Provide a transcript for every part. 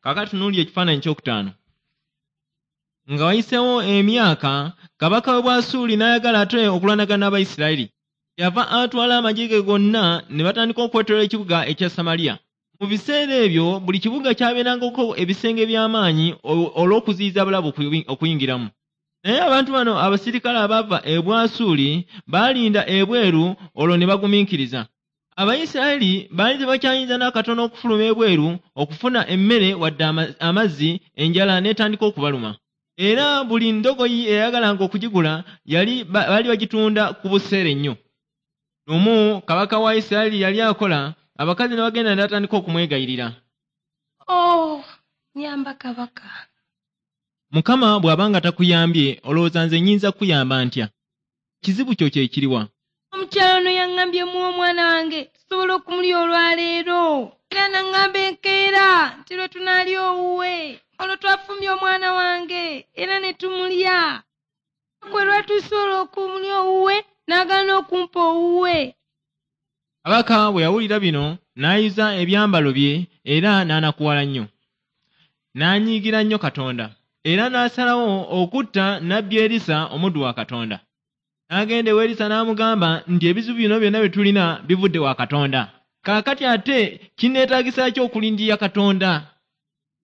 Kaakati tunuulira ekifaananyi kyokutaano. Nga wayiseewo emyaka, kabaka w'e Bwasuuli n'ayagala ate okulwanagana n'Abayisirayiri. Yava atwala amagye ge gonna ne batandika okwetooloola ekibuga ekya Samaliya. Mu biseera ebyo buli kibuga kyabeerangako ebisenge eby'amaanyi olw'okuziyiza abalabe okuyingiramu. Naye abantu bano abasirikale abaava e Bwasuuli baalinda ebweru olwo ne bagumiikiriza. Abayisirayiri baali tebakyayinza n'akatono okufuluma ebweru okufuna emmere wadde amazzi, enjala n'etandika okubaluma. Era buli ndogoyi eyayagalanga okugigula yali baali bagitunda ku buseere nnyo. Lumu kabaka wa Isirayiri yali akola, abakazi ne bagenda ne batandika okumwegayirira. Oh, nnyamba kabaka. Mukama bw'aba nga takuyambye, olowooza nze nnyinza kukuyamba ntya? Kizibu kyo kye kiriwa? Omukyala ono yaŋŋambye muwe omwana wange tusobole okumulya olwaleero. Era n'aŋŋamba enkeera nti lwe tunaalya owuwe. Olwo twafumbye omwana wange era ne tumulya. Kwe lwatuuse olw'okumulya owuwe n'agaana okumpa owuwe. Kabaka bwe yawulira bino n'ayuza ebyambalo bye era n'anakuwala nnyo. N'anyiigira nnyo Katonda era n'asalawo okutta nnabbi Erisa omuddu wa Katonda. N'agenda ewa Erisa n'amugamba nti ebizibu bino byonna bye tulina bivudde wa Katonda. Kaakati ate kinneetaagisa ki okulindirira Katonda?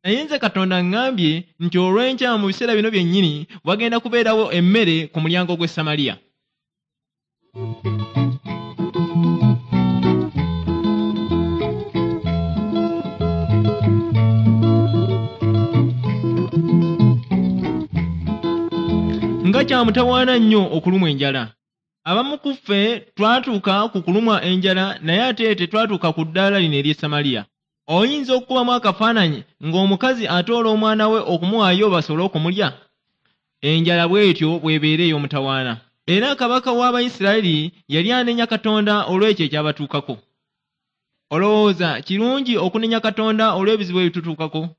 Naye nze Katonda aŋŋambye nti olw'enkya mu biseera bino byennyini wagenda kubeerawo emmere ku mulyango gw'e Samaliya. Nga kya mutawaana nnyo okulumwa enjala! Abamu ku ffe twatuuka ku kulumwa enjala naye ate tetwatuuka ku ddaala lino ery'e Samaliya. Oyinza okukubamu akafaananyi ng'omukazi atoola omwana we okumuwaayo basobole okumulya? Enjala bw'etyo bw'ebeera ey'omutawaana. Era kabaka w'Abayisirayiri yali anenya Katonda olw'ekyo ekyabatuukako. Olowooza kirungi okunenya Katonda olw'ebizibu ebitutuukako?